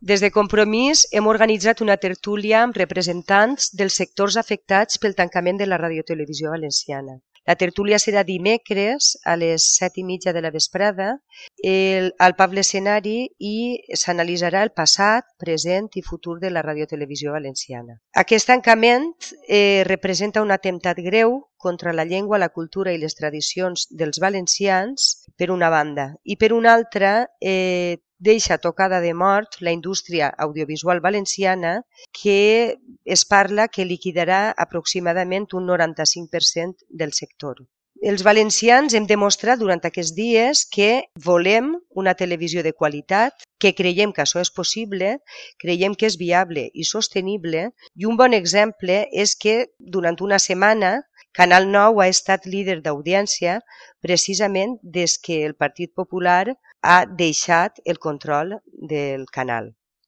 Des de Compromís hem organitzat una tertúlia amb representants dels sectors afectats pel tancament de la radiotelevisió valenciana. La tertúlia serà dimecres a les 7:30 de la vesprada al Pablo Escenari i s'analitzarà el passat, present i futur de la radiotelevisió valenciana. Aquest tancament representa un atemptat greu contra la llengua, la cultura i les tradicions dels valencians, per una banda, i per una altra deixa tocada de mort la indústria audiovisual valenciana, que es parla que liquidarà aproximadament un 95% del sector. Els valencians hem demostrat durant aquests dies que volem una televisió de qualitat, que creiem que això és possible, creiem que és viable i sostenible, i un bon exemple és que durant una setmana Canal 9 ha estat líder d'audiència precisament des que el Partit Popular ha deixat el control del canal.